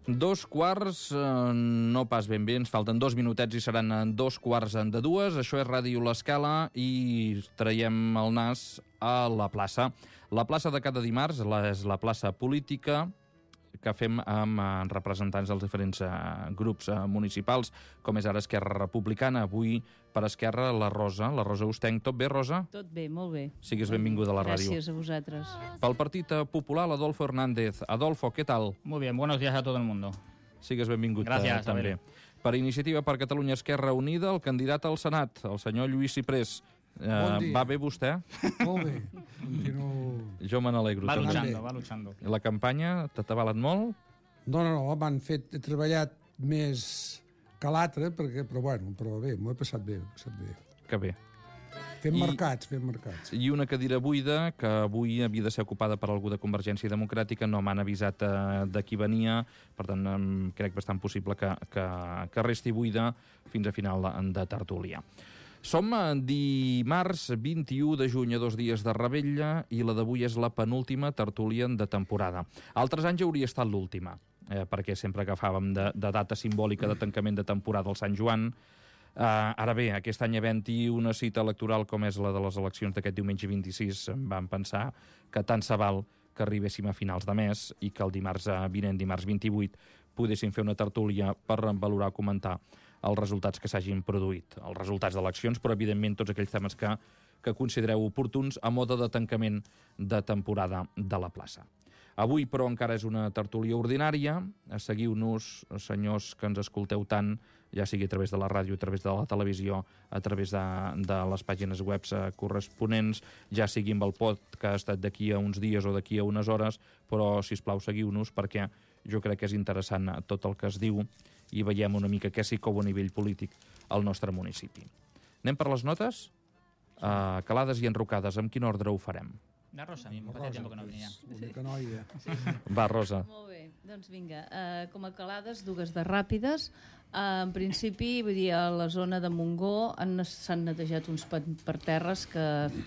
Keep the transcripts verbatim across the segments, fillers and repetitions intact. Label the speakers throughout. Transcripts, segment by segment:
Speaker 1: Dos quarts, eh, no pas ben bé, ens falten dos minutets i seran dos quarts de dues. Això és Ràdio L'Escala i traiem el nas a la plaça. La plaça de cada dimarts és la plaça política que fem amb representants dels diferents grups municipals, com és ara Esquerra Republicana. Avui, per Esquerra, la Rosa. La Rosa Ustenc. Tot bé, Rosa?
Speaker 2: Tot bé, molt bé.
Speaker 1: Sigues benvinguda a la ràdio.
Speaker 2: Gràcies a vosaltres.
Speaker 1: Pel Partit Popular, Adolfo Hernández. Adolfo, ¿qué tal?
Speaker 3: Muy bien, buenos días a todo el mundo.
Speaker 1: Sigues benvingut
Speaker 3: Gràcies,
Speaker 1: també. Per Iniciativa per Catalunya Esquerra Unida, el candidat al Senat, el senyor Lluís Ciprés.
Speaker 4: Bon dia.
Speaker 1: Va bé vostè?
Speaker 4: Molt bé. Continuo...
Speaker 1: Jo me n'alegro.
Speaker 3: Va
Speaker 1: també.
Speaker 3: luchando, va luchando.
Speaker 1: La campanya t'ha avalat molt?
Speaker 4: No, no, no, m'han fet... He treballat més que l'altre, perquè, però bueno, però bé, m'ho he passat bé, m'ho he passat bé.
Speaker 1: Que bé.
Speaker 4: Fem
Speaker 1: I-
Speaker 4: mercats, fem mercats.
Speaker 1: I una cadira buida que avui havia de ser ocupada per algú de Convergència Democràtica, no m'han avisat eh, de qui venia, per tant em crec bastant possible que, que, que resti buida fins a final de, de tertúlia. Som a dimarts vint-i-u de juny, a dos dies de Rebella, i la d'avui és la penúltima tertúlia de temporada. Altres anys hauria estat l'última, eh, perquè sempre agafàvem de, de data simbòlica de tancament de temporada al Sant Joan. Uh, ara bé, aquest any havent-hi una cita electoral com és la de les eleccions d'aquest diumenge vint-i-sis, vam pensar que tant se val que arribéssim a finals de mes i que el dimarts vinent, dimarts vint-i-vuit, poguéssim fer una tertúlia per valorar, comentar els resultats que s'hagin produït, els resultats d'eleccions, però evidentment tots aquells temes que, que considereu oportuns a mode de tancament de temporada de la plaça. Avui, però, encara és una tertúlia ordinària. Seguiu-nos, senyors que ens escolteu tant, ja sigui a través de la ràdio, a través de la televisió, a través de, de les pàgines web corresponents, ja sigui amb el podcast d'aquí a uns dies o d'aquí a unes hores, però, sisplau, seguiu-nos, perquè jo crec que és interessant tot el que es diu i veiem una mica què s'hi cou a nivell polític al nostre municipi. Anem per les notes? Uh, calades i enrocades. En quin ordre ho farem?
Speaker 3: La Rosa mismo, que hacía tiempo que no venía.
Speaker 4: Bonica noia.
Speaker 1: Va, Rosa.
Speaker 2: Molt bé, doncs vinga, uh, com a calades, dues de ràpides. Uh, en principi, vull dir, a la zona de Montgó han- s'han netejat uns pa- parterres que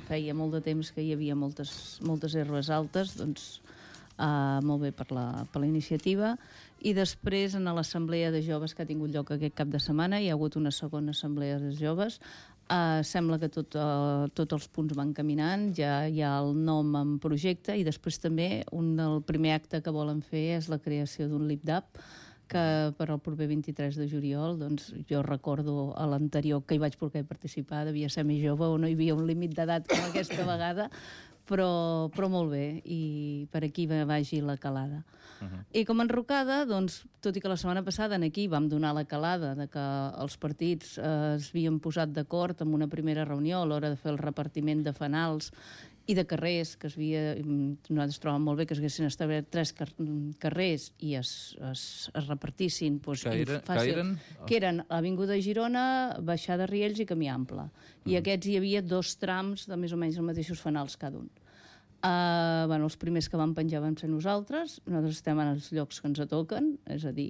Speaker 2: feia molt de temps que hi havia moltes, moltes herbes altes, doncs uh, molt bé per la, per la iniciativa. I després, en l'assemblea de joves que ha tingut lloc aquest cap de setmana, hi ha hagut una segona assemblea de joves. Uh, sembla que tot, uh, tots els punts van caminant, ja hi ha el nom en projecte, i després també un del primer acte que volen fer és la creació d'un LIPDAP, que per al proper vint-i-tres de juliol, doncs jo recordo a l'anterior que hi vaig poder participar, devia ser més jove o no hi havia un límit d'edat com aquesta vegada, però, però molt bé, i per aquí va- vagi la calada. Uh-huh. I com a enrocada, doncs, tot i que la setmana passada en aquí vam donar la calada de que els partits eh, es havien posat d'acord en una primera reunió a l'hora de fer el repartiment de fanals i de carrers, que es havia, nosaltres trobàvem molt bé que es haguessin establert tres car carrers i es, es, es repartissin doncs,
Speaker 1: Que era- que eren?
Speaker 2: que eren Avinguda Girona, Baixada Riells i Camí Ample. I aquests hi havia dos trams de més o menys els mateixos fanals cada un. Uh, bueno, els primers que vam penjar vam ser nosaltres. Nosaltres estem en els llocs que ens toquen, és a dir,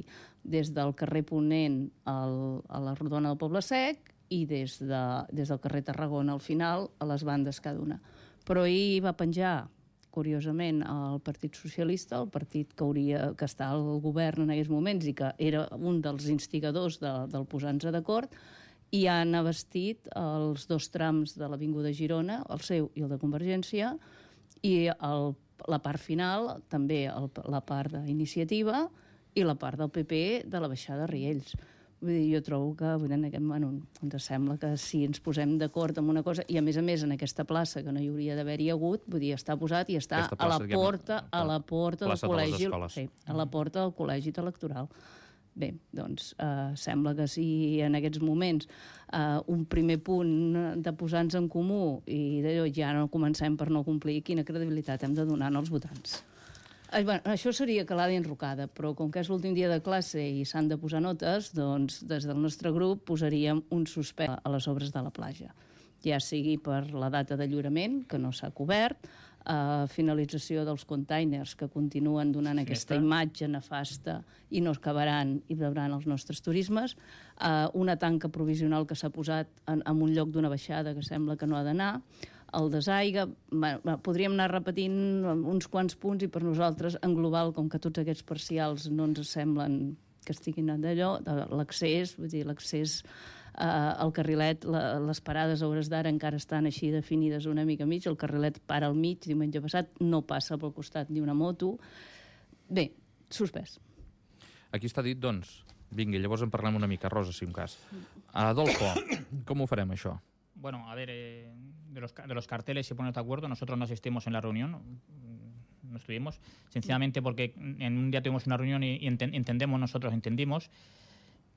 Speaker 2: des del carrer Ponent al, a la Rodona del Poble Sec i des, de, des del carrer Tarragona al final, a les bandes cada una. Però ahir va penjar, curiosament, el Partit Socialista, el partit que hauria que està al govern en aquells moments i que era un dels instigadors de, del posar-nos d'acord, i han abastit els dos trams de l'Avinguda Girona, el seu i el de Convergència, i el, la part final, també el, la part d'iniciativa i la part del P P de la Baixada Riells. Vull dir, jo trobo que vull dir, en aquest, bueno, ens sembla que si ens posem d'acord en una cosa, i a més a més en aquesta plaça que no hi hauria d'haver-hi hagut, vull dir, està posat i està
Speaker 1: Aquesta
Speaker 2: a la
Speaker 1: plaça, diguem,
Speaker 2: porta, a la porta del
Speaker 1: plaça de les
Speaker 2: col·legi,
Speaker 1: escoles.
Speaker 2: sí, a la porta del col·legi electoral. Bé, doncs eh, sembla que si en aquests moments eh, un primer punt de posar-nos en comú i d'allò ja no comencem per no complir, quina credibilitat hem de donar als votants? Eh, bueno, això seria calada i enrocada, però com que és l'últim dia de classe i s'han de posar notes, doncs des del nostre grup posaríem un suspens a les obres de la platja, ja sigui per la data de lliurament, que no s'ha cobert, Uh, finalització dels containers que continuen donant
Speaker 3: Sí,
Speaker 2: aquesta
Speaker 3: està.
Speaker 2: imatge nefasta i no es acabaran i veuran els nostres turismes, uh, una tanca provisional que s'ha posat en, en un lloc d'una baixada que sembla que no ha d'anar, el desaigua. Bueno, podríem anar repetint uns quants punts i per nosaltres, en global, com que tots aquests parcials no ens semblen que estiguin d'allò, l'accés, vull dir, l'accés eh, al carrilet, la, les parades a hores d'ara encara estan així definides una mica mig, el carrilet para al mig, diumenge passat, no passa pel costat ni una moto. Bé, suspès.
Speaker 1: Aquí està dit, doncs, vinga, llavors en parlem una mica, Rosa, si un cas. Adolfo, com ho farem, això?
Speaker 3: Bueno, a ver, eh, de, los, de los carteles, si ponen de acuerdo, nosotros no asistimos en la reunión, no estuvimos, sencillamente porque en un día tuvimos una reunión y, y ent entendemos, nosotros entendimos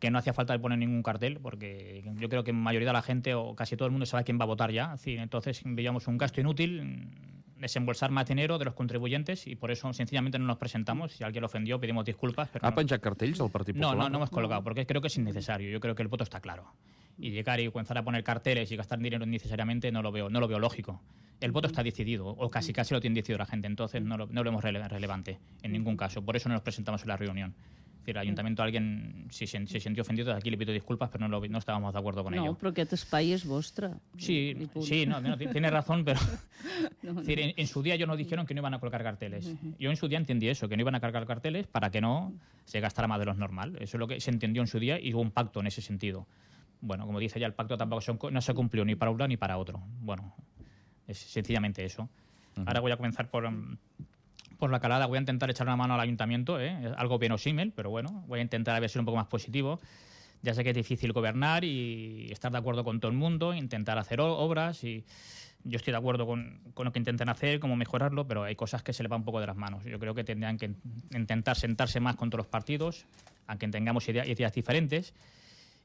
Speaker 3: que no hacía falta poner ningún cartel, porque yo creo que en mayoría de la gente, o casi todo el mundo, sabe quién va a votar ya. Sí, entonces veíamos un gasto inútil, desembolsar más dinero de los contribuyentes, y por eso sencillamente no nos presentamos. Si alguien lo ofendió, pedimos disculpas. Pero
Speaker 1: ¿Ha
Speaker 3: no.
Speaker 1: penjat cartells el Partit Popular?
Speaker 3: No, no, no hemos colocado, porque creo que es innecesario. Yo creo que el voto está claro. Y llegar y comenzar a poner carteles y gastar dinero innecesariamente no lo veo, no lo veo lógico. El voto está decidido, o casi casi lo tiene decidido la gente, entonces no lo, no lo vemos rele relevante en ningún caso. Por eso no nos presentamos en la reunión. Es decir, el ayuntamiento, alguien si se, se sintió ofendido, aquí le pido disculpas, pero no, lo, no estábamos de acuerdo con
Speaker 2: no,
Speaker 3: ello.
Speaker 2: No, però aquest espai és vostre.
Speaker 3: Sí, sí, no, no, tiene razón, pero no, no. Es decir, en, en su día yo nos dijeron que no iban a colocar carteles. Uh-huh. Yo en su día entendí eso, que no iban a cargar carteles para que no se gastara más de lo normal. Eso es lo que se entendió en su día y hubo un pacto en ese sentido. Bueno, como dice ya, el pacto tampoco son, no se cumplió ni para uno ni para otro. Bueno, es sencillamente eso. Uh-huh. Ahora voy a comenzar por, por la calada. Voy a intentar echar una mano al ayuntamiento, ¿eh? Es algo verosímil, pero bueno, voy a intentar a ver si ser un poco más positivo. Ya sé que es difícil gobernar y estar de acuerdo con todo el mundo, intentar hacer obras, y yo estoy de acuerdo con, con lo que intenten hacer, cómo mejorarlo, pero hay cosas que se le van un poco de las manos. Yo creo que tendrían que intentar sentarse más con todos los partidos, aunque tengamos ideas, ideas diferentes,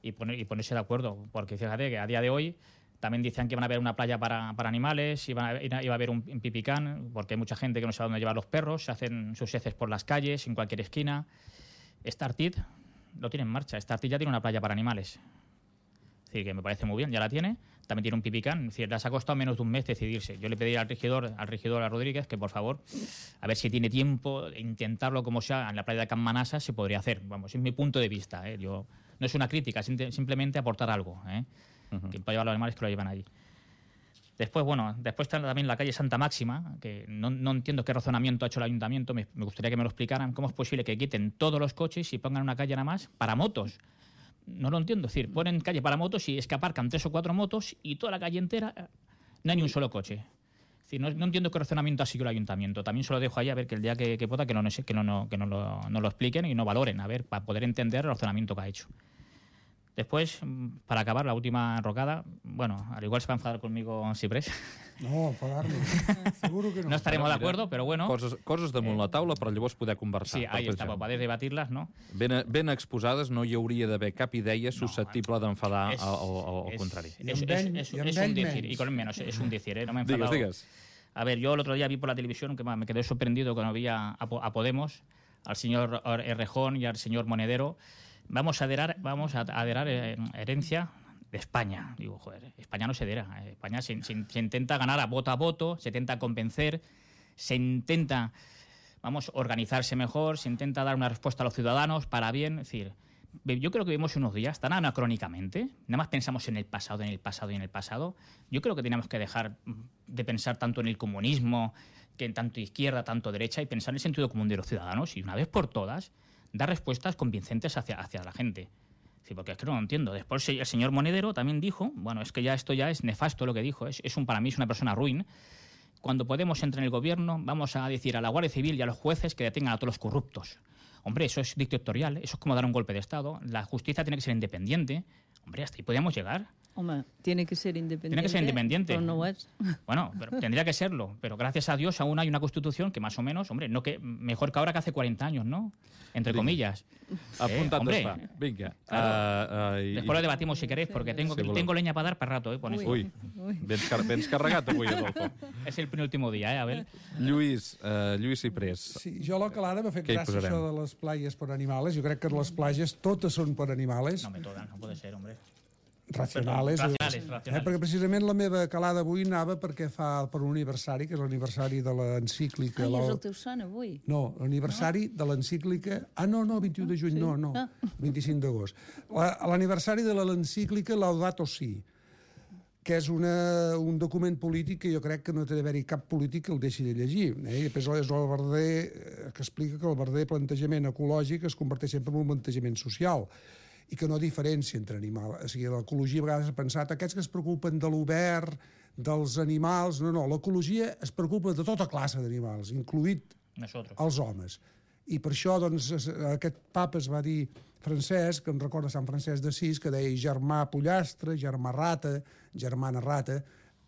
Speaker 3: y, poner, y ponerse de acuerdo, porque fíjate que a día de hoy también decían que iban a haber una playa para, para animales, iban a, iba a haber un, un pipicán, porque hay mucha gente que no sabe dónde llevar los perros, se hacen sus heces por las calles, en cualquier esquina. Startit lo tiene en marcha, Startit ya tiene una playa para animales. Es decir, que me parece muy bien, ya la tiene. También tiene un pipicán, es decir, les ha costado menos de un mes decidirse. Yo le pedí al regidor, al regidor a Rodríguez que, por favor, a ver si tiene tiempo de intentarlo como sea en la playa de Can Manasa, se podría hacer. Vamos, es mi punto de vista, ¿eh? Yo, no es una crítica, simplemente aportar algo, ¿eh? Uh-huh. Que para llevar los animales que lo llevan allí. Después, bueno, después está también la calle Santa Máxima, que no, no entiendo qué razonamiento ha hecho el ayuntamiento, me, me gustaría que me lo explicaran. ¿Cómo es posible que quiten todos los coches y pongan una calle nada más para motos? No lo entiendo, es decir, ponen calle para motos y es que aparcan tres o cuatro motos y toda la calle entera no hay ni un solo coche. Es decir, no, no entiendo qué razonamiento ha sido el ayuntamiento. También se lo dejo ahí a ver que el día que, que vota que, no, que, no, no, que no, lo, no lo expliquen y no valoren, a ver, para poder entender el razonamiento que ha hecho. Después, para acabar, la última enrocada, bueno, al igual se va a enfadar conmigo Ciprés.
Speaker 4: No, enfadar-nos. Seguro que no.
Speaker 3: No estaremos de acuerdo, pero bueno.
Speaker 1: Coses, coses damunt eh, la taula per llavors poder conversar.
Speaker 3: Sí, ahí està, per poder debatir-les, no?
Speaker 1: Ben, ben exposades, no hi hauria d'haver cap idea susceptible
Speaker 3: no,
Speaker 1: d'enfadar
Speaker 3: es,
Speaker 1: al contrari.
Speaker 3: Es, es, es, es, es un decir, y con menos, es un decir, ¿eh? No me he enfadado.
Speaker 1: Digues, digues.
Speaker 3: A ver, yo el otro día vi por la televisión que me quedé sorprendido cuando vi a, a Podemos, al señor Errejón y al señor Monedero. Vamos a aderar, vamos a aderar herencia de España. Digo, joder, España no se adera. España se, se, se intenta ganar a voto a voto, se intenta convencer, se intenta, vamos, organizarse mejor, se intenta dar una respuesta a los ciudadanos para bien. Es decir, yo creo que vivimos unos días tan anacrónicamente, nada más pensamos en el pasado, en el pasado y en el pasado. Yo creo que tenemos que dejar de pensar tanto en el comunismo, que en tanto izquierda, tanto derecha, y pensar en el sentido común de los ciudadanos, y una vez por todas dar respuestas convincentes hacia, hacia la gente. Sí, porque es que no lo entiendo. Después el señor Monedero también dijo, bueno, es que ya esto ya es nefasto lo que dijo, es, es un, para mí es una persona ruin. Cuando Podemos entre en el gobierno, vamos a decir a la Guardia Civil y a los jueces que detengan a todos los corruptos. Hombre, eso es dictatorial, eso es como dar un golpe de Estado. La justicia tiene que ser independiente. Hombre, hasta ahí podríamos llegar.
Speaker 2: Hombre, tiene que ser independiente.
Speaker 3: Tiene que ser independiente.
Speaker 2: Pero no es.
Speaker 3: Bueno, pero tendría que serlo. Pero gracias a Dios aún hay una Constitución que más o menos, hombre, no que mejor que ahora que hace cuarenta años, ¿no? Entre Vinga. Comillas.
Speaker 1: Apuntat
Speaker 3: eh,
Speaker 1: està. Vinga.
Speaker 3: Claro.
Speaker 1: Uh, uh,
Speaker 3: Después lo debatimos si queréis, porque tengo, sí, tengo leña para dar para rato, ¿eh? Con
Speaker 1: Ui, Ui. Vens, car vens carregat avui, Adolfo.
Speaker 3: És el penúltimo dia, eh, Abel?
Speaker 1: Lluís, uh, Lluís Ciprés.
Speaker 4: Sí, jo a la calada m'ha fet gràcia això de les playes per animals. Jo crec que les platges totes són per animals.
Speaker 3: No me tocan, no puede ser, hombre.
Speaker 4: Racionales.
Speaker 3: Perdó, racionales, racionales.
Speaker 4: Eh, perquè precisament la meva calada avui anava perquè fa per un aniversari, que és l'aniversari de l'encíclica...
Speaker 2: Ai, és el teu son avui?
Speaker 4: No, l'aniversari no? de l'encíclica... Ah, no, no, vint-i-u de juny, sí? no, no, ah. vint-i-cinc d'agost. L'aniversari de l'encíclica Laudato Si. que és una, un document polític que jo crec que no té d'haver-hi cap polític que el deixi de llegir. Eh? I després és el verdader, que explica que el verdader plantejament ecològic es converteix sempre en un plantejament social i que no diferència entre animals. O sigui, l'ecologia a vegades ha pensat aquests que es preocupen de l'obert, dels animals... No, no, l'ecologia es preocupa de tota classe d'animals, incluït
Speaker 3: Nosotros.
Speaker 4: els homes. I per això doncs, aquest papa es va dir Francesc, que em recorda Sant Francesc d'Assís, que deia germà pollastre, germà rata, germana rata.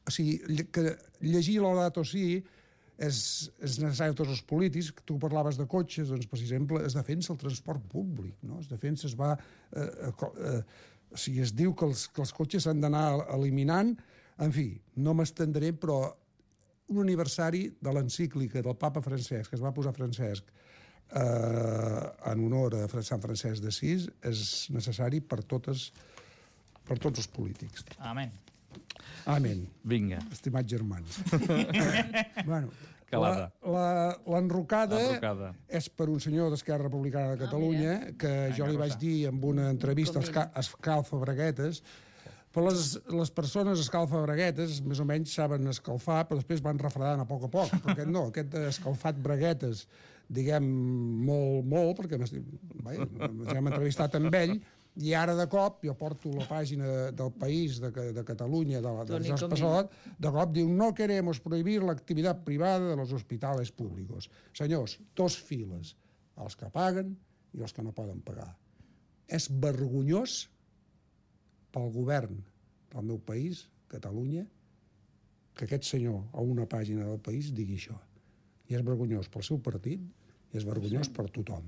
Speaker 4: O sigui, que llegir Laudato Si és, és necessari a tots els polítics. Tu parlaves de cotxes, doncs, per exemple, es defensa el transport públic, no? Es defensa, es va... Eh, eh, o sigui, es diu que els, que els cotxes s'han d'anar eliminant. En fi, no m'estendré, però un aniversari de l'encíclica del papa Francesc, que es va posar Francesc, Eh, en honor a Sant Francesc d'Assís, és necessari per totes per tots els polítics.
Speaker 3: Amén.
Speaker 4: Amén.
Speaker 1: Vinga.
Speaker 4: Estimats germans. Bueno,
Speaker 1: Calada.
Speaker 4: l'enrocada
Speaker 1: L'enrocada.
Speaker 4: és per un senyor d'Esquerra Republicana de Catalunya,
Speaker 2: Ah,
Speaker 4: que jo li vaig dir en una entrevista als Escalfa Braguetes, però les, les persones escalfa braguetes més o menys saben escalfar, però després van refredant a poc a poc, perquè no, aquest escalfat braguetes, diguem, molt, molt, perquè hem entrevistat amb ell, i ara de cop, jo porto la pàgina del País de, de Catalunya, de, de Jorge Passot, de cop diu, no queremos prohibir l'activitat privada de los hospitales públicos. Senyors, dos files, els que paguen i els que no poden pagar. És vergonyós pel govern del meu país, Catalunya, que aquest senyor a una pàgina del País digui això. I és vergonyós pel seu partit i és vergonyós per tothom.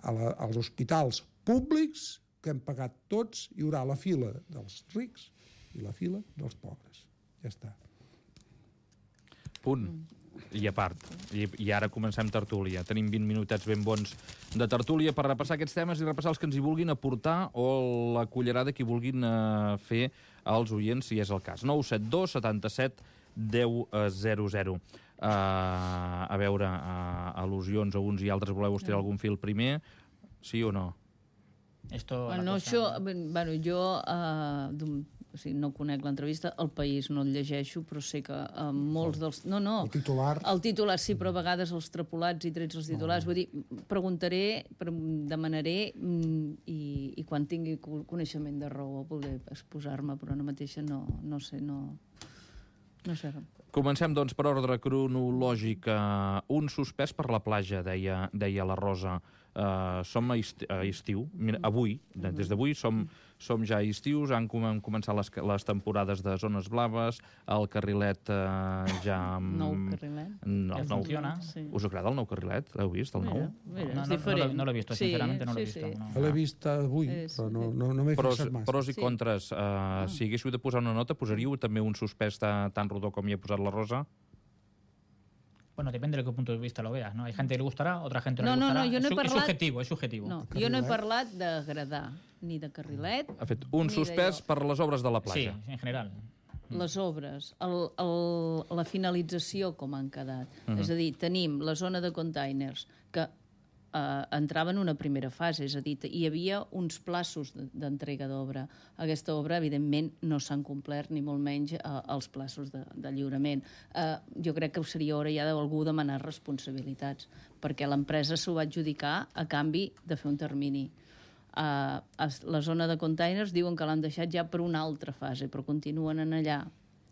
Speaker 4: A la, als hospitals públics que hem pagat tots hi haurà la fila dels rics i la fila dels pobres. Ja està.
Speaker 1: Punt. I a part. I, I ara comencem tertúlia. Tenim vint minutets ben bons de tertúlia per repassar aquests temes i repassar els que ens hi vulguin aportar o la cullerada que hi vulguin eh, fer als oients, si és el cas. nou set dos setanta-set deu zero zero. Uh, a veure, uh, al·lusions a uns i altres, voleu estirar algun fil primer? Sí o no?
Speaker 3: Esto,
Speaker 2: Bueno,
Speaker 3: cosa...
Speaker 2: això, bueno, jo uh, o sigui, no conec l'entrevista, El País no el llegeixo, però sé que uh, molts dels... No, no,
Speaker 4: El titular...
Speaker 2: El titular sí, però a vegades els trapolats i trets els titulars. Vull dir, preguntaré, demanaré i, i quan tingui coneixement de raó voldré exposar-me, però ara mateixa no, no sé, no... No sé.
Speaker 1: Comencem, doncs, per ordre cronològic. Un suspès per la platja, deia, deia la Rosa. Uh, som a, esti a estiu. Mira, avui, des d'avui, som, som ja a estius, han com començat les, les temporades de zones blaves, el carrilet uh, ja...
Speaker 2: Nou carrilet.
Speaker 1: No,
Speaker 3: Ja
Speaker 1: nou...
Speaker 3: funciona.
Speaker 2: Sí.
Speaker 1: Us agrada el nou carrilet? L'heu vist, el nou?
Speaker 2: Mira, mira,
Speaker 3: No,
Speaker 2: és
Speaker 3: no, no,
Speaker 2: diferent.
Speaker 3: no l'he visto,
Speaker 2: Sí,
Speaker 3: sinceramente no l'he
Speaker 2: sí,
Speaker 3: visto.
Speaker 2: sí.
Speaker 3: No.
Speaker 4: Jo l'he vist avui,
Speaker 2: És-
Speaker 4: però no, no, no m'he
Speaker 1: Pros,
Speaker 4: fixat massa.
Speaker 1: pros i
Speaker 2: Sí.
Speaker 1: contres. Uh, si haguéssiu de posar una nota, posaríeu també un suspès tan, tan rodó com hi ha posat la Rosa?
Speaker 3: Bueno, depende de qué punto de vista lo veas, ¿no? Hay gente que le gustará, otra gente no,
Speaker 2: No,
Speaker 3: le
Speaker 2: no,
Speaker 3: gustará.
Speaker 2: no, jo no he
Speaker 3: es, su-
Speaker 2: parlat-
Speaker 3: es subjetivo, es subjetivo.
Speaker 2: No, jo
Speaker 4: Carrilet.
Speaker 2: no he parlat d'agradar, ni de carrilet,
Speaker 1: Ha fet un
Speaker 2: Ni
Speaker 1: suspès
Speaker 2: d'allò.
Speaker 1: per les obres de la
Speaker 3: Sí,
Speaker 1: platja.
Speaker 3: en general.
Speaker 2: les obres, el, el, la finalització com han quedat. Uh -huh. És a dir, tenim la zona de containers que eh, entrava en una primera fase, és a dir, hi havia uns plaços d'entrega d'obra. Aquesta obra, evidentment, no s'han complert, ni molt menys eh, els plaços de, de lliurament. Eh, jo crec que seria hora ja d'algú demanar responsabilitats, perquè l'empresa s'ho va adjudicar a canvi de fer un termini. Uh, la zona de containers diuen que l'han deixat ja per una altra fase, però continuen en allà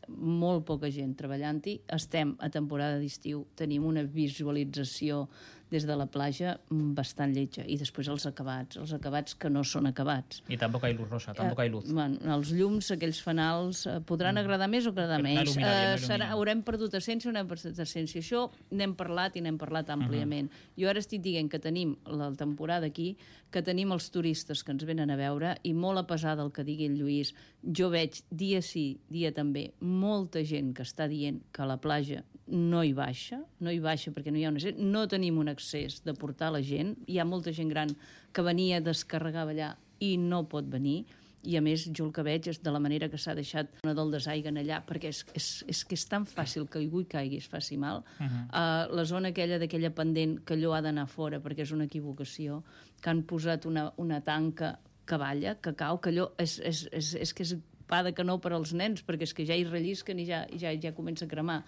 Speaker 2: molt poca gent treballant-hi. Estem a temporada d'estiu, tenim una visualització des de la platja bastant lletja. I després els acabats, els acabats que no són acabats.
Speaker 3: Y tampoco hay luz, Rosa, tampoco hay luz.
Speaker 2: Eh, bueno, els llums, aquells fanals, eh, podran agradar més o agradar
Speaker 3: Però no
Speaker 2: menys.
Speaker 3: il·lumina bien, no
Speaker 2: Eh, serà,
Speaker 3: il·lumina.
Speaker 2: haurem perdut essència o no hem perdut essència. Això n'hem parlat i n'hem parlat àmpliament. Jo ara estic dient que tenim la temporada aquí, que tenim els turistes que ens venen a veure, i molt a pesar del que digui el Lluís, jo veig dia sí, dia també, molta gent que està dient que a la platja no hi baixa, no hi baixa perquè no hi ha una... No tenim un accés de portar la gent, hi ha molta gent gran que venia, descarregava allà i no pot venir, i a més jo el que veig és de la manera que s'ha deixat una del desaiguen allà, perquè és, és, és que és tan fàcil que algú hi caigui es faci mal. Uh -huh. uh, la zona aquella d'aquella pendent que allò ha d'anar fora perquè és una equivocació, que han posat una, una tanca que balla, que cau, que allò és, és, és, és que és pa de canó per als nens, perquè és que ja hi rellisquen i ja, ja, ja comença a cremar.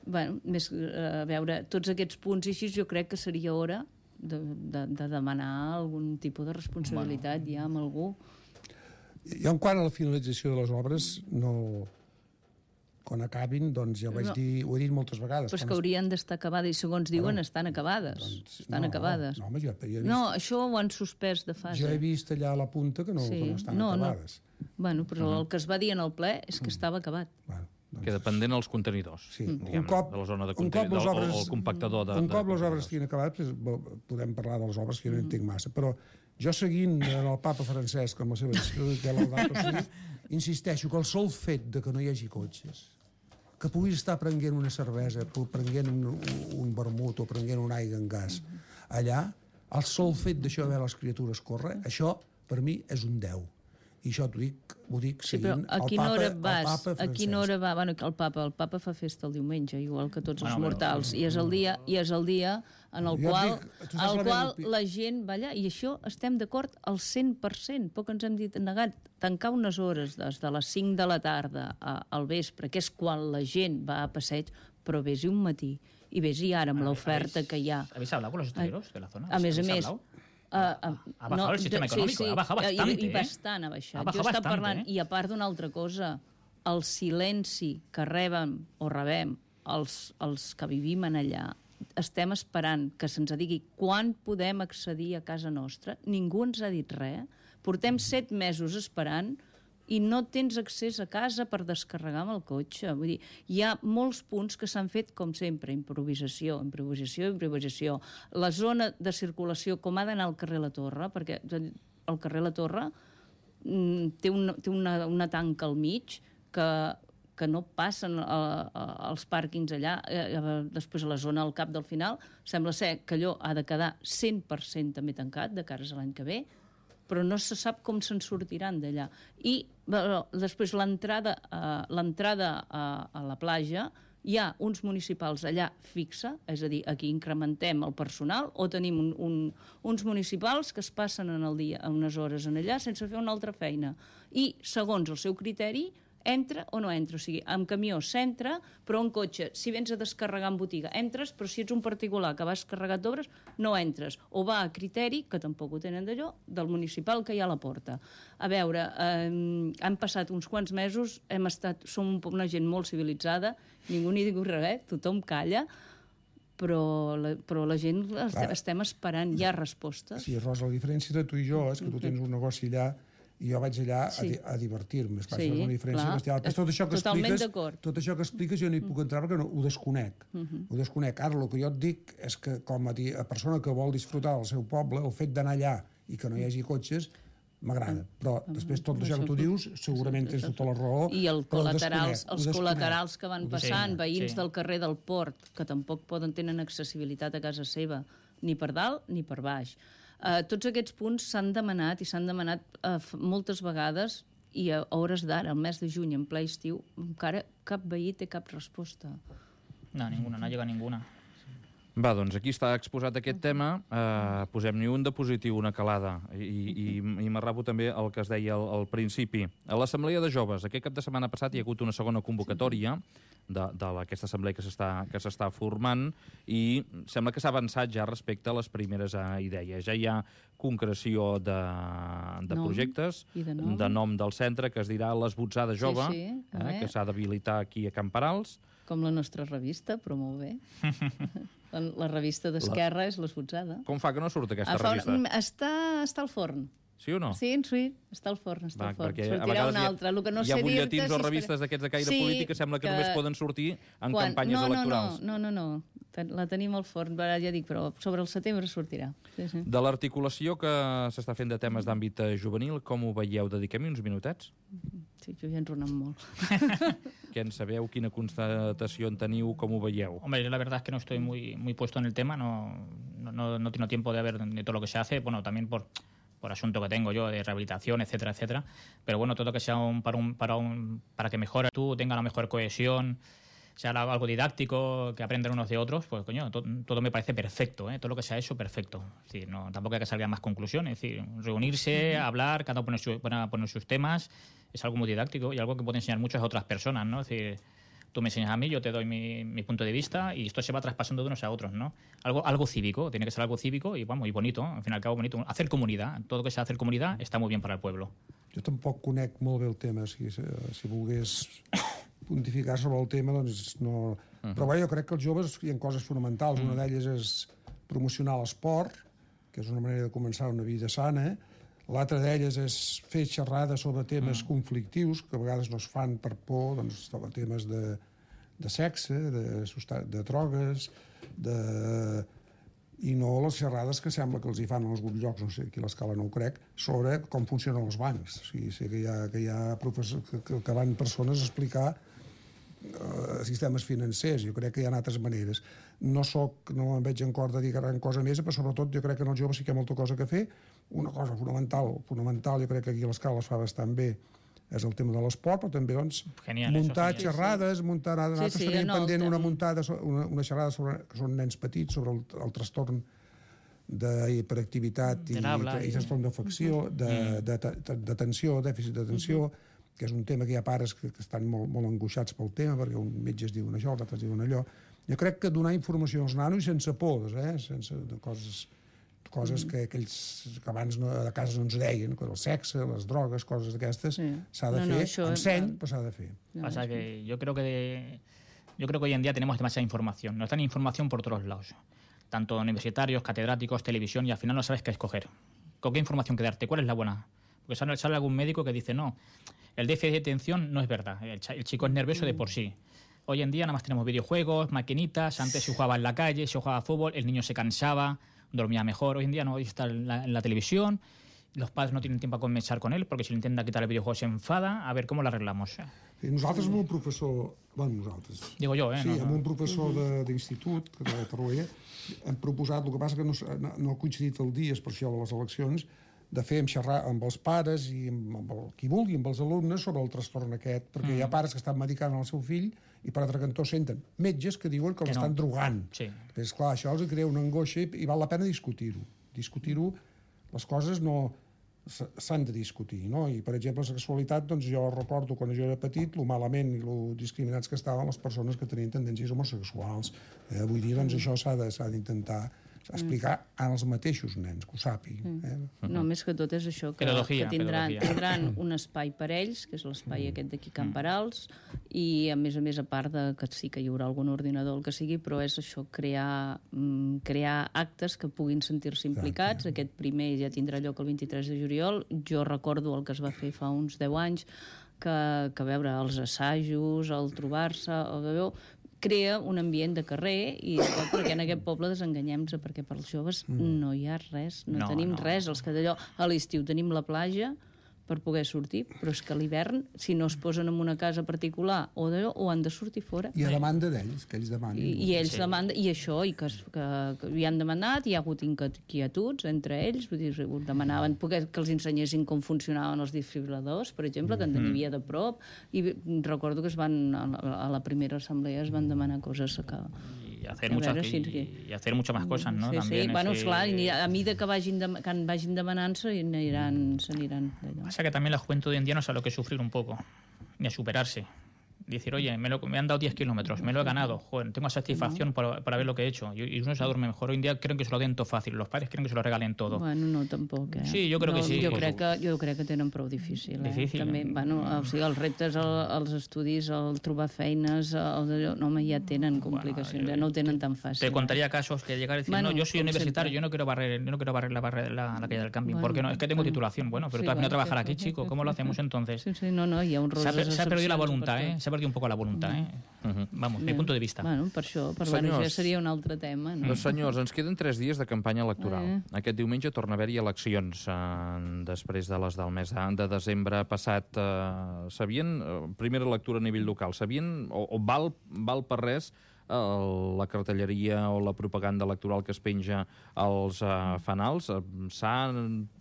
Speaker 2: Bueno, més, a veure, tots aquests punts i així jo crec que seria hora de, de, de demanar algun tipus de responsabilitat bueno. ja amb algú.
Speaker 4: I en quant a la finalització de les obres, no... quan acabin, doncs ja ho vaig no. dir, ho he dit moltes vegades.
Speaker 2: Però és que haurien d'estar acabades, i segons diuen bueno, estan acabades. Doncs, estan
Speaker 4: no,
Speaker 2: acabades.
Speaker 4: No, home, jo, jo he vist,
Speaker 2: no, això ho han suspès de fase.
Speaker 4: Jo he vist allà a la punta que no, sí. que no estan no, acabades.
Speaker 2: No. Bueno, però uh -huh. el que es va dir en el ple és que uh -huh. estava acabat.
Speaker 1: Bueno, doncs... Queda pendent els contenidors,
Speaker 4: sí.
Speaker 1: diguem,
Speaker 4: un cop,
Speaker 1: de la zona de
Speaker 4: contenidors,
Speaker 1: o, o el compactador de...
Speaker 4: Un cop
Speaker 1: de,
Speaker 4: les obres estiguin acabades, podem parlar de les obres, que jo no uh -huh. entenc massa, però jo seguint el papa Francesc amb la seva encíclica Laudato Si, insisteixo que el sol fet de que no hi hagi cotxes, que puguis estar prenent una cervesa, prenent un, un vermut o prenent un aigua en gas, allà, el sol fet d'això de veure les criatures córrer, això, per mi, és un deu. I això t'ho dic, ho dic
Speaker 2: sí,
Speaker 4: seguint
Speaker 2: a
Speaker 4: el
Speaker 2: quina
Speaker 4: papa,
Speaker 2: hora
Speaker 4: el
Speaker 2: vas?
Speaker 4: papa Francesc.
Speaker 2: A quina hora va? Bueno, el papa, el papa fa festa el diumenge, igual que tots els
Speaker 3: bueno,
Speaker 2: mortals,
Speaker 3: però...
Speaker 2: i és el dia, i és el dia en el
Speaker 4: jo
Speaker 2: qual,
Speaker 4: dic,
Speaker 2: el qual la gent va allà, i això estem d'acord al cent per cent, poc ens hem dit negat, tancar unes hores des de les cinc de la tarda al vespre, que és quan la gent va a passeig, però vés-hi un matí, i vés-hi ara amb l'oferta que hi ha.
Speaker 3: ¿Habéis hablado con los hosteleros de la zona?
Speaker 2: A més a més, Uh, uh,
Speaker 3: ha bajado no, el sistema econòmic, sí, sí, ha bajado bastante.
Speaker 2: I, i bastant ha baixat.
Speaker 3: Ha bajado
Speaker 2: jo
Speaker 3: bastante,
Speaker 2: parlant,
Speaker 3: eh?
Speaker 2: I a part d'una altra cosa, el silenci que rebem o rebem els, els que vivim en allà, estem esperant que se'ns digui quan podem accedir a casa nostra. Ningú ens ha dit res. Portem set mesos esperant i no tens accés a casa per descarregar amb el cotxe. Vull dir, hi ha molts punts que s'han fet, com sempre, improvisació, improvisació, improvisació. La zona de circulació, com ha d'anar al carrer La Torre, perquè el carrer La Torre mm, té, una, té una, una tanca al mig que, que no passen a, a, als pàrquings allà, eh, després a la zona al cap del final. Sembla ser que allò ha de quedar cent per cent també tancat de cares a l'any que ve, però no se sap com se'n sortiran d'allà. I bueno, després l'entrada a, l'entrada a, a la platja, hi ha uns municipals allà fixa, és a dir, aquí incrementem el personal, o tenim un, un, uns municipals que es passen en el dia a unes hores en allà sense fer una altra feina. I, segons el seu criteri, entra o no entra. O sigui, amb camió s'entra, però en cotxe, si vens a descarregar en botiga, entres, però si ets un particular que vas carregat d'obres, no entres. O va a criteri, que tampoc ho tenen d'allò, del municipal que hi ha a la porta. A veure, eh, han passat uns quants mesos, hem estat, som una gent molt civilitzada, ningú ni diu res, tothom calla, però la, però la gent estem, estem esperant, hi ha respostes.
Speaker 4: Sí, Rosa, la diferència de tu i jo és que tu tens un negoci allà i jo vaig allà sí. a, a divertir-me. És, sí, és una diferència clar. Bestial. Però tot això que
Speaker 2: Totalment
Speaker 4: expliques, tot això que expliques jo no hi puc entrar perquè no, ho desconec. Uh -huh. Ho desconec. Ara, el que jo et dic és que com a, a persona que vol disfrutar del seu poble, el fet d'anar allà i que no hi hagi cotxes, m'agrada. Però després tot això que tu dius, segurament tens tota la raó.
Speaker 2: I el col·laterals, els col·laterals que van passant, veïns
Speaker 3: sí.
Speaker 2: del carrer del Port, que tampoc poden tenen accessibilitat a casa seva, ni per dalt ni per baix. Uh, tots aquests punts s'han demanat i s'han demanat uh, moltes vegades i a hores d'ara, al mes de juny, en ple estiu, encara cap veí té cap resposta.
Speaker 3: No, ninguna, no llega ninguna.
Speaker 1: Va, doncs aquí està exposat aquest tema. Uh, posem-n'hi un de positiu, una calada. I, i, i m'arrabo també el que es deia al, al principi. A l'Assemblea de Joves, aquest cap de setmana passat hi ha hagut una segona convocatòria de, d'aquesta assemblea que s'està que s'està formant i sembla que s'ha avançat ja respecte a les primeres uh, idees. Ja hi ha concreció de, de nom, projectes,
Speaker 2: de nom.
Speaker 1: de nom del centre, que es dirà l'Esbotzada Jove,
Speaker 2: sí, sí,
Speaker 1: eh, que s'ha d'habilitar aquí a Can Parals.
Speaker 2: Com la nostra revista, però molt bé. la, la revista d'Esquerra la... és l'Esbotzada.
Speaker 1: Com fa que no surt aquesta
Speaker 2: fa,
Speaker 1: revista?
Speaker 2: Està, està al forn.
Speaker 1: Sí o no?
Speaker 2: Sí, sí, està al forn, està
Speaker 1: Va,
Speaker 2: al forn.
Speaker 1: Sortirà
Speaker 2: una altra. El que no
Speaker 1: hi ha
Speaker 2: sé
Speaker 1: butlletins
Speaker 2: o
Speaker 1: si revistes d'aquests de caire
Speaker 2: sí,
Speaker 1: polític que sembla que, que només poden sortir en
Speaker 2: Quan...
Speaker 1: campanyes
Speaker 2: no, no,
Speaker 1: electorals.
Speaker 2: No, no, no, no. La tenim al forn, ja dic, però sobre el setembre sortirà. Sí, sí.
Speaker 1: De l'articulació que s'està fent de temes d'àmbit juvenil, com ho veieu? Dediquem-hi uns minutets?
Speaker 2: Sí, jo ja enronant molt.
Speaker 1: Què en sabeu? Quina constatació en teniu? Com ho veieu?
Speaker 3: Hombre, yo la verdad es que no estoy muy, muy puesto en el tema, no, no, no, no tengo tiempo de ver de todo lo que se hace, bueno, también por... por asunto que tengo yo de rehabilitación, etcétera, etcétera. Pero bueno, todo que sea un, para, un, para, un, para que mejore tú, tenga la mejor cohesión, sea algo didáctico, que aprendan unos de otros, pues coño, to, todo me parece perfecto, ¿eh? Todo lo que se ha hecho, perfecto. Es decir, no, tampoco hay que salgan más conclusiones. Es decir, reunirse, hablar, cada uno poner, su, poner sus temas, es algo muy didáctico y algo que puede enseñar mucho a otras personas, ¿no? Es decir, tú me enseñas a mí, yo te doy mi, mi punto de vista y esto se va traspasando de unos a otros, ¿no? Algo, algo cívico, tiene que ser algo cívico y, vamos, y bonito, al fin y al cabo bonito. Hacer comunidad, todo lo que sea hacer comunidad está muy bien para el pueblo.
Speaker 4: Jo tampoc conec molt bé el tema, si, si volgués pontificar sobre el tema, doncs no... Uh-huh. Però bé, jo crec que els joves hi ha coses fonamentals. Uh-huh. Una d'elles és promocionar l'esport, que és una manera de començar una vida sana. L'altra d'elles és fer xerrades sobre temes uh-huh. conflictius, que a vegades no es fan per por, doncs sobre temes de, de sexe, de, de drogues, de... i no les xerrades que sembla que els hi fan en alguns llocs, no sé, aquí a l'escala no ho crec, sobre com funcionen els bancs. O sigui, sé que hi ha, que hi ha professors que, que van persones a explicar uh, sistemes financers. Jo crec que hi ha altres maneres. No soc, no em veig en cor de dir gran cosa més, però sobretot jo crec que en els joves sí que hi ha molta cosa que fer. Una cosa fonamental, fonamental, jo crec que aquí a l'escala es fa bastant bé, és el tema de l'esport, però també doncs,
Speaker 3: genial,
Speaker 4: muntar
Speaker 3: eso,
Speaker 4: xerrades, sí. muntar... Nosaltres sí, sí, tenim no, pendent tem... una muntada, una, una xerrada sobre, que són nens petits, sobre el, el trastorn d'hiperactivitat i, i, i trastorn d'afecció, de, de, de, d'atenció, dèficit d'atenció, uh-huh. que és un tema que hi ha pares que, que estan molt, molt angoixats pel tema, perquè un metge es diuen això, l'altre es diuen allò. Jo crec que donar informació als nanos sense pors, eh? sense de coses... coses que, que ells que abans no, a casa no ens deien, el sexe, les drogues, coses d'aquestes, sí. s'ha de no, fer, no, enseny, però s'ha de fer.
Speaker 3: No, Pasa que yo creo que de, yo creo que hoy en día tenemos demasiada información, nos dan información por todos lados, tanto universitarios, catedráticos, televisión, y al final no sabes qué escoger. ¿Con qué información quedarte? ¿Cuál es la buena? Porque sale, sale algún médico que dice, no, el déficit de atención no es verdad, el, el chico es nervioso de por sí. Hoy en día nada más tenemos videojuegos, maquinitas, antes se jugaba en la calle, se jugaba fútbol, el niño se cansaba, dormía mejor. Hoy en día no, hoy está en la, en la televisión, los padres no tienen tiempo a conversar con él porque si le intenta quitar el videojuego se enfada, a ver cómo lo arreglamos.
Speaker 4: Sí, nosaltres amb un professor... Bueno, nosaltres.
Speaker 3: Digo jo, eh?
Speaker 4: Sí,
Speaker 3: no,
Speaker 4: amb un professor d'institut, de Torroella, hem proposat, el que passa que no, no ha coincidit el dia, és per això de les eleccions, de fer xerrar amb els pares i amb, amb el, qui vulgui, amb els alumnes, sobre el trastorn aquest, perquè mm. hi ha pares que estan medicant el seu fill i per altre cantó senten metges que diuen que, que l'estan no. drogant.
Speaker 3: Sí.
Speaker 4: És clar, això els crea una angoixa i, i val la pena discutir-ho. Discutir-ho, les coses no s'han de discutir, no? I, per exemple, la sexualitat, doncs jo recordo quan jo era petit, lo malament i lo discriminats que estaven les persones que tenien tendències homosexuals. Eh? Vull dir, doncs això s'ha d'intentar explicar als mateixos nens, que ho sàpiguen. Eh?
Speaker 2: No, més que tot és això, que,
Speaker 3: pedagogia,
Speaker 2: que tindran, tindran un espai per ells, que és l'espai aquest d'aquí Can Perals, i a més a més, a part de que sí que hi haurà algun ordinador, el que sigui, però és això, crear, crear actes que puguin sentir-se implicats. Aquest primer ja tindrà lloc el vint-i-tres de juliol. Jo recordo el que es va fer fa uns deu anys, que, que veure els assajos, el trobar-se, el veu, crea un ambient de carrer i tot, perquè en aquest poble desenganyem-se, perquè per als joves mm. no hi ha res, no, no tenim no. res. Els que d'allò, a l'estiu tenim la platja per poder sortir, però és que a l'hivern, si no es posen en una casa particular o d'allò, o han de sortir fora.
Speaker 4: I a demanda d'ells, que ells demanen.
Speaker 2: I, i ells sí. demanden, i això, i que, que, que hi han demanat, hi ha hagut inquietuds entre ells, vull dir, demanaven poder, que els ensenyessin com funcionaven els desfibriladors, per exemple, que en tenien de prop, i recordo que es van, a la primera assemblea es van demanar coses que...
Speaker 3: Y hacer, muchas, veure, sí, sí. y hacer muchas más cosas, ¿no?
Speaker 2: Sí,
Speaker 3: También
Speaker 2: sí. Bueno,
Speaker 3: ese...
Speaker 2: clar, a mesura que vagin, de, que vagin demanant-se, s'aniran d'allò.
Speaker 3: Pasa que también la juventud hoy en día no sabe lo que es sufrir un poco, ni a superarse. Decir, oye, me, lo, me han dado diez kilómetros, me lo he ganado, joder, tengo satisfacción no. para, para ver lo que he hecho. Y, y uno se duerme mejor. Hoy en día creen que se lo den todo fácil. Los padres creen que se lo regalen todo.
Speaker 2: Bueno, no, tampoc, eh?
Speaker 3: Sí, jo crec
Speaker 2: no,
Speaker 3: que sí.
Speaker 2: Jo crec que, jo crec que tenen prou difícil, eh?
Speaker 3: Difícil.
Speaker 2: També, bueno, o sigui, els reptes, el, els estudis, el trobar feines, el, no, home, ja tenen complicacions, bueno, ja no ho tenen tan fàcil.
Speaker 3: Te contaría casos que llegar a decir, bueno, no, yo soy universitario, siempre. yo no quiero barrer, yo no quiero barrer la, barrer la, la calle del camping.
Speaker 2: Bueno,
Speaker 3: ¿por qué no? Es que tengo
Speaker 2: bueno,
Speaker 3: titulación. Bueno, pero
Speaker 2: sí,
Speaker 3: tú has venido
Speaker 2: bueno,
Speaker 3: a trabajar
Speaker 2: sí,
Speaker 3: aquí,
Speaker 2: sí,
Speaker 3: chico.
Speaker 2: sí,
Speaker 3: ¿Cómo
Speaker 2: sí,
Speaker 3: lo hacemos
Speaker 2: sí.
Speaker 3: entonces?
Speaker 2: Sí, sí, no, no, hi ha un
Speaker 3: se ha, se ha perdido la voluntad, ¿eh? Se ha perdido un poco la voluntad, ¿eh? Uh-huh. Vamos, mi punto de vista.
Speaker 2: Bueno, per això, per senyors, bueno, ja seria un altre tema. No?
Speaker 1: Doncs senyors, ens queden tres dies de campanya electoral.
Speaker 2: Eh.
Speaker 1: Aquest diumenge torna a haver-hi eleccions eh, després de les del mes de desembre passat. Eh, sabien, eh, primera lectura a nivell local, sabien, o, o val, val per res el, la cartelleria o la propaganda electoral que es penja als uh, fanals. S'ha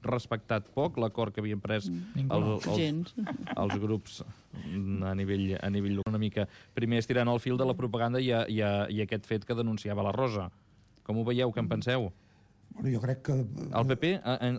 Speaker 1: respectat poc l'acord que havien pres el, els, els grups a nivell, a nivell una mica. Primer estirant el fil de la propaganda i, a, i, a, i aquest fet que denunciava la Rosa. Com ho veieu, què en penseu?
Speaker 4: Bueno, jo crec que...
Speaker 1: El P P,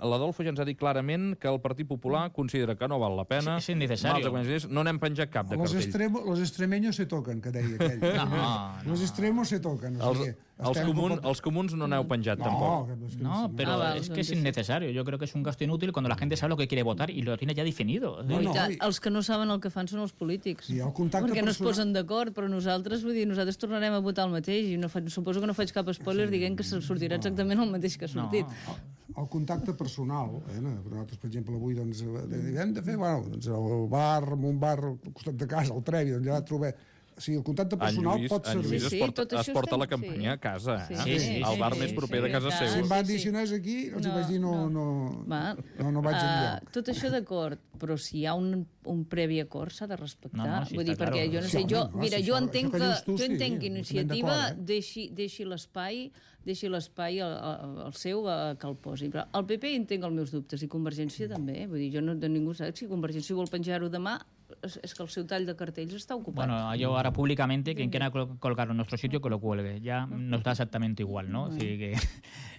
Speaker 1: l'Adolfo ja ens ha dit clarament que el Partit Popular considera que no val la pena.
Speaker 3: És innecessari.
Speaker 1: No n'hem penjat cap de cartell.
Speaker 4: Los, extremo, los extremeños se toquen, que deia aquell.
Speaker 3: No, no.
Speaker 4: Los extremos se toquen. O sigui,
Speaker 1: els, els, comun, els comuns no n'heu penjat
Speaker 4: no,
Speaker 1: tampoc.
Speaker 4: Que, que
Speaker 3: no, pero ah, es que es innecesario. Yo creo que es un gasto inútil cuando la gente sabe lo que quiere votar y lo tiene ya definido.
Speaker 2: No, no, i... Els que no saben el que fan són els polítics.
Speaker 4: Sí, el contacte
Speaker 2: perquè no
Speaker 4: personal...
Speaker 2: es posen d'acord, però nosaltres, vull dir, nosaltres tornarem a votar el mateix i no fa... suposo que no faig cap spoiler sí, dient que sortirà exactament el mateix que ha sortit.
Speaker 3: No.
Speaker 4: El contacte personal, eh? Nosaltres, per exemple, avui doncs, hem de fer, bueno, doncs, el bar, un bar al costat de casa, el Trevi, doncs ja trobem... O sigui, el contacte personal
Speaker 1: en Lluís,
Speaker 4: pot servir.
Speaker 1: En Lluís
Speaker 2: sí,
Speaker 1: es porta,
Speaker 2: sí,
Speaker 1: es porta la campanya sí. a casa, eh? Sí, sí, sí, el bar sí, més proper sí, de casa
Speaker 2: sí,
Speaker 1: seu.
Speaker 4: Si em van dir
Speaker 2: sí.
Speaker 4: si no és aquí, els no, vaig dir no, no, no, no, no vaig enlloc.
Speaker 2: Uh, tot això d'acord, però si hi ha un, un previ acord s'ha de respectar.
Speaker 3: No, no, sí,
Speaker 2: vull dir,
Speaker 3: claro.
Speaker 2: perquè jo no sé,
Speaker 4: Sí,
Speaker 2: jo,
Speaker 4: no,
Speaker 2: mira,
Speaker 4: si
Speaker 2: jo
Speaker 4: això,
Speaker 2: entenc
Speaker 4: això que
Speaker 2: que,
Speaker 4: dius tu,
Speaker 2: jo
Speaker 4: sí,
Speaker 2: entenc que iniciativa
Speaker 4: eh?
Speaker 2: deixi, deixi l'espai deixi l'espai al, al seu a, que el posi. Però el P P entenc els meus dubtes i Convergència també. Vull dir, jo no de ningú sap si Convergència vol penjar-ho demà es, es que el seu tall de cartells està ocupat.
Speaker 3: Bueno, yo ahora públicamente, quien quiera colgarlo en nuestro sitio, que lo cuelgue. Ya nos da exactamente igual, ¿no?
Speaker 2: No,
Speaker 3: Así que...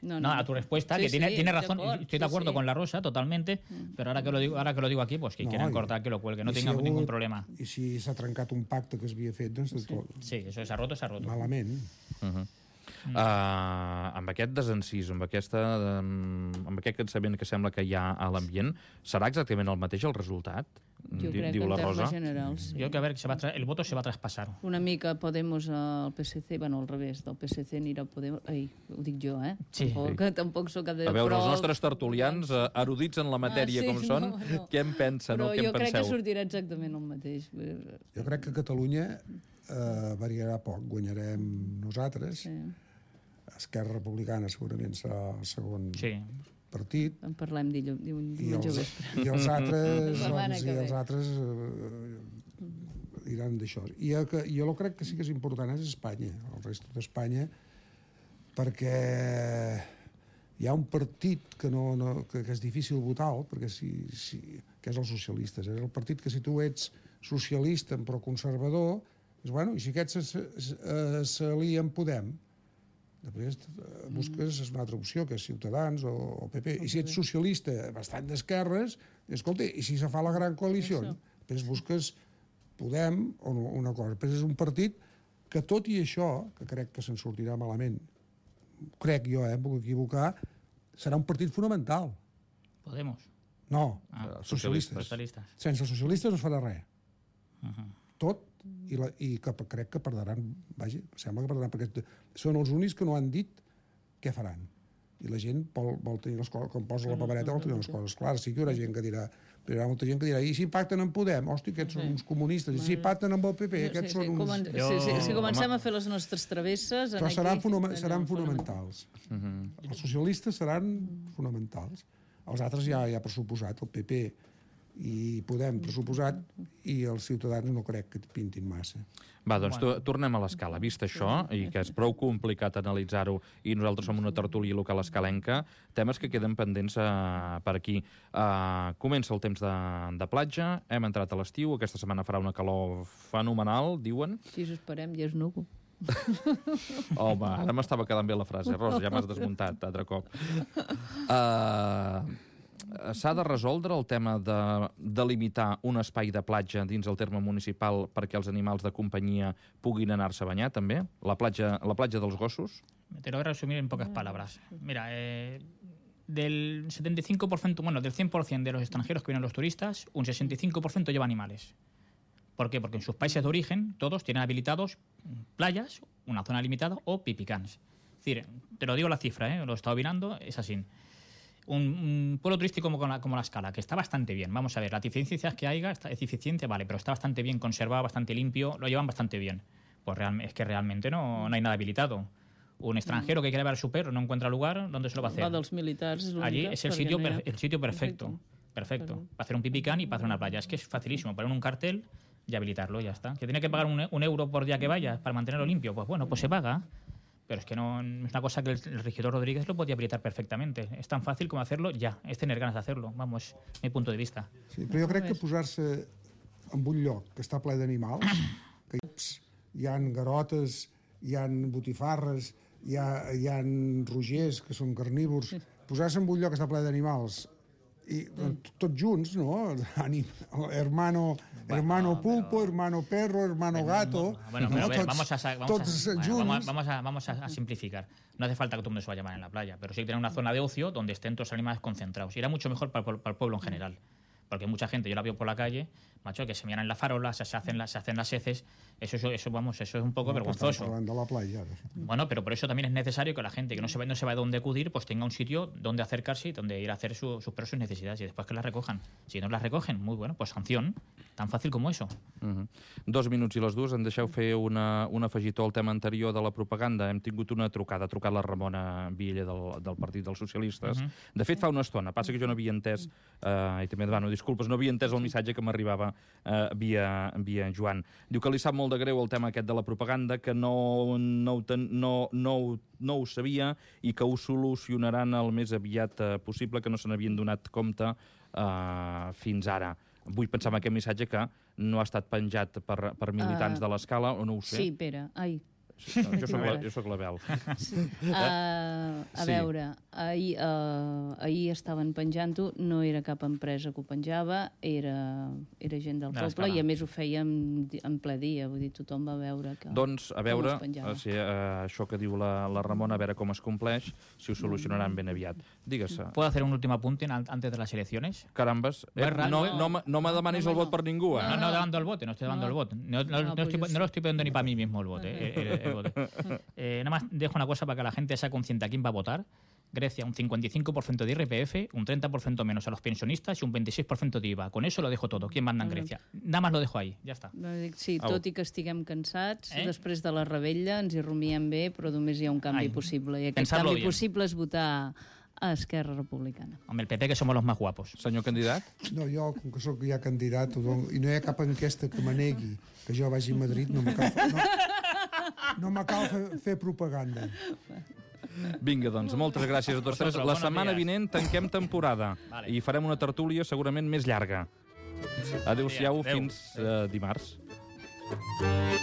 Speaker 2: no,
Speaker 3: no,
Speaker 2: no.
Speaker 3: a tu respuesta,
Speaker 2: sí,
Speaker 3: que tiene,
Speaker 2: sí,
Speaker 3: tiene razón,
Speaker 2: acord,
Speaker 3: estoy de acuerdo
Speaker 2: sí, sí.
Speaker 3: con la Rosa, totalmente, pero ahora que lo digo, ahora que lo digo aquí, pues que
Speaker 4: no,
Speaker 3: quieran
Speaker 4: i,
Speaker 3: cortar, que lo cuelgue, no
Speaker 4: si
Speaker 3: tenga
Speaker 4: hagut,
Speaker 3: ningún problema.
Speaker 4: I si s'ha trencat un pacte que s'havia fet, doncs...
Speaker 3: Sí, sí, eso s'ha roto, s'ha roto.
Speaker 4: Malament.
Speaker 1: Uh -huh. Mm. Uh, amb aquest desencís, amb, aquesta, um, amb aquest cansament que sembla que hi ha a l'ambient, serà exactament el mateix el resultat?
Speaker 2: Jo crec
Speaker 1: diu
Speaker 2: que en
Speaker 1: la Rosa.
Speaker 2: termes generals, sí.
Speaker 3: Yo creo que a ver, se va el voto se va a traspasar.
Speaker 2: Una mica Podemos al P S C, bueno, al revés, del P S C anirà a Podemos... Ai, ho dic jo, eh?
Speaker 3: Sí.
Speaker 2: Tampoc, que tampoc sóc cap de...
Speaker 1: A veure,
Speaker 2: però...
Speaker 1: els nostres tertulians, uh, erudits en la matèria
Speaker 2: ah, sí,
Speaker 1: com
Speaker 2: no,
Speaker 1: són,
Speaker 2: no.
Speaker 1: què en pensen
Speaker 2: però
Speaker 1: o què en
Speaker 2: jo crec
Speaker 1: penseu?
Speaker 2: que sortirà exactament el mateix.
Speaker 4: Jo crec que Catalunya eh, variarà poc. Guanyarem nosaltres.
Speaker 2: Sí.
Speaker 4: Esquerra Republicana segurament serà el segon
Speaker 3: sí.
Speaker 4: partit.
Speaker 2: En parlem dilluns
Speaker 4: I
Speaker 2: diumenge
Speaker 4: els,
Speaker 2: vespre.
Speaker 4: i els altres,
Speaker 2: setmana
Speaker 4: doncs,
Speaker 2: que
Speaker 4: i
Speaker 2: ve.
Speaker 4: els altres eh, iran d'això. I el que, jo crec que sí que és important és Espanya, el resto d'Espanya, perquè hi ha un partit que, no, no, que, que és difícil votar, perquè si, si, que és els socialistes. És el partit que si tu ets socialista però conservador, és, bueno, i si aquests s'alien amb Podem, després busques una altra opció, que és Ciutadans o, o P P. I si ets socialista bastant d'esquerres, escolta, i si se fa la gran coalició, després busques Podem o una cosa. Després és un partit que, tot i això, que crec que se'n sortirà malament, crec jo, eh, em puc equivocar, serà un partit fonamental.
Speaker 3: Podemos.
Speaker 4: No,
Speaker 3: ah,
Speaker 4: socialistes.
Speaker 3: socialistes.
Speaker 4: Sense socialistes no es farà res.
Speaker 3: Uh -huh.
Speaker 4: Tot, i, la, i que crec que perdran, vaja, sembla que perdran, perquè són els únics que no han dit què faran. I la gent vol, vol tenir les coses, quan posa la papereta vol tenir les coses clares. Sí que hi haurà gent que dirà, però hi haurà molta gent que dirà, i si pacten en Podem? Hòstia, aquests són uns comunistes. I si pacten amb el P P? Aquests
Speaker 2: sí, sí,
Speaker 4: són uns...
Speaker 2: Comen... Sí, sí, si comencem a fer les nostres travesses...
Speaker 4: Però
Speaker 2: aquí,
Speaker 4: seran, fonama
Speaker 2: no,
Speaker 4: seran
Speaker 2: no,
Speaker 4: fonamentals. Uh -huh. Els socialistes seran fonamentals. Els altres ja, ja pressuposat, el P P i Podem pressuposat, i els Ciutadans no crec que pintin massa.
Speaker 1: Va, doncs bueno. tornem a l'escala. Vist això, i que és prou complicat analitzar-ho, i nosaltres som una tertúlia local escalenca, temes que queden pendents uh, per aquí. Uh, comença el temps de, de platja, hem entrat a l'estiu, aquesta setmana farà una calor fenomenal, diuen.
Speaker 2: Si us esperem, ja és núvol.
Speaker 1: Home, ara m'estava quedant bé la frase, Rosa, ja m'has desmuntat, altre cop. Uh, S'ha de resoldre el tema de delimitar un espai de platja dins el terme municipal perquè els animals de companyia puguin anar-se a banyar, també? La platja, la platja dels gossos?
Speaker 3: Te lo voy a resumir en pocas palabras. Mira, eh, del setenta y cinco por ciento, bueno, del cien por ciento de los extranjeros que vienen los turistas, un sesenta y cinco por ciento lleva animales. ¿Por qué? Porque en sus países de origen todos tienen habilitados playas, una zona limitada o pipicans. Es decir, te lo digo la cifra, ¿eh? Lo he estado mirando, es así. Un, un pueblo turístico como la, como la Escala, que está bastante bien. Vamos a ver, las deficiencias que haya, está, es eficiente, vale, pero está bastante bien conservado, bastante limpio, lo llevan bastante bien. Pues real, es que realmente no, no hay nada habilitado. Un extranjero que quiere ver a su perro no encuentra lugar, ¿dónde se lo va a hacer?
Speaker 2: Va dels militars, és
Speaker 3: Allí es el sitio,
Speaker 2: no
Speaker 3: per, el sitio perfecto. Perfecto. Perfecto. Para hacer un pipicán y para hacer una playa. Es que es facilísimo. Poner un cartel, y habilitarlo, ya está. ¿Que tiene que pagar un, un euro por día que vaya para mantenerlo limpio? Pues bueno, pues se paga. Pero es que no es una cosa que el, el regidor Rodríguez lo podía habilitar perfectamente. Es tan fácil como hacerlo ya, es tener ganas de hacerlo. Vamos, mi punto de vista.
Speaker 4: Sí, però jo crec que posar-se en un lloc que està ple d'animals, que hi ha garotes, hi ha botifarres, hi ha, hi ha rogers que són carnívors, posar-se en un lloc que està ple d'animals i tots junts, no? Hermano, hermano pulpo, hermano perro, hermano gato...
Speaker 3: Bueno, pero a ver, vamos a, vamos,
Speaker 4: tots
Speaker 3: a,
Speaker 4: junts.
Speaker 3: vamos, vamos, a, vamos a, a simplificar. No hace falta que todo el mundo se vaya a llamar en la playa, pero sí que tener una zona de ocio donde estén todos los animales concentrados. Y era mucho mejor para, para el pueblo en general. Porque mucha gente, yo la veo por la calle, macho, que se miran en la farola, se hacen las, se hacen las heces, eso, eso, eso, vamos, eso es un poco no, vergonzoso.
Speaker 4: De la playa.
Speaker 3: Bueno, pero por eso también es necesario que la gente que no se va, no se va a dónde acudir, pues tenga un sitio donde acercarse y donde ir a hacer su, sus, sus necesidades y después que las recojan. Si no las recogen, muy bueno, pues sanción, tan fàcil com això.
Speaker 1: Uh -huh. Dos minuts i les dues, em deixeu fer una, un afegitó al tema anterior de la propaganda. Hem tingut una trucada, ha trucat la Ramona Viella del, del Partit dels Socialistes. Uh -huh. De fet, fa una estona, passa que jo no havia entès, eh, i també demano disculpes, no havia entès el missatge que m'arribava eh, via, via Joan. Diu que li sap molt de greu el tema aquest de la propaganda, que no, no, ho, ten, no, no, ho, no ho sabia i que ho solucionaran el més aviat eh, possible, que no se n'havien donat compte eh, fins ara. Vull pensar en aquest missatge que no ha estat penjat per, per militants uh, de l'Escala, o no ho sé.
Speaker 2: Sí, Pere, ai.
Speaker 1: Sí, no, jo, soc la, jo soc la Bel.
Speaker 2: Sí. Uh, a sí. veure, ahir, uh, ahir estaven penjant-ho, no era cap empresa que ho penjava, era, era gent del poble i a més ho fèiem en ple dia, vull dir, tothom va veure que
Speaker 1: doncs, a veure, o sigui, uh, això que diu la, la Ramona, a veure com es compleix, si ho solucionaran ben aviat. Digues-se.
Speaker 3: ¿Puedo hacer un último apunte antes de las elecciones?
Speaker 1: Carambes, eh, no, no, no, no me demanis no, el vot per ningú, eh?
Speaker 3: No, no, no dando el voto, no estoy dando no. el voto. No, no, no, no, estoy, no lo estoy pidiendo ni para mí mismo el voto. Eh, el, el, Eh, nada más dejo una cosa para que la gente sea consciente a quién va a votar. Grecia, un cincuenta y cinco por ciento de I R P F, un treinta por ciento menos a los pensionistas y un veintiséis por ciento de I V A. Con eso lo dejo todo. ¿Quién manda en Grecia? Nada más lo dejo ahí, ja està.
Speaker 2: Sí, tot i que estiguem cansats, eh? després de la rebella ens hi rumiem bé, però només hi ha un canvi Ai, possible. I aquest canvi bien. possible és votar a Esquerra Republicana.
Speaker 3: Hombre, el P P que somos los más guapos.
Speaker 1: Senyor candidat?
Speaker 4: No, jo, com que sóc ja candidat, i no hi ha cap enquesta que me negui que jo vagi a Madrid, no me cal, no, no me cal fer, fer propaganda.
Speaker 1: Vinga, doncs, moltes gràcies a tots tres. La setmana vinent tanquem temporada vale. i farem una tertúlia segurament més llarga. Adéu-siau, fins uh, dimarts.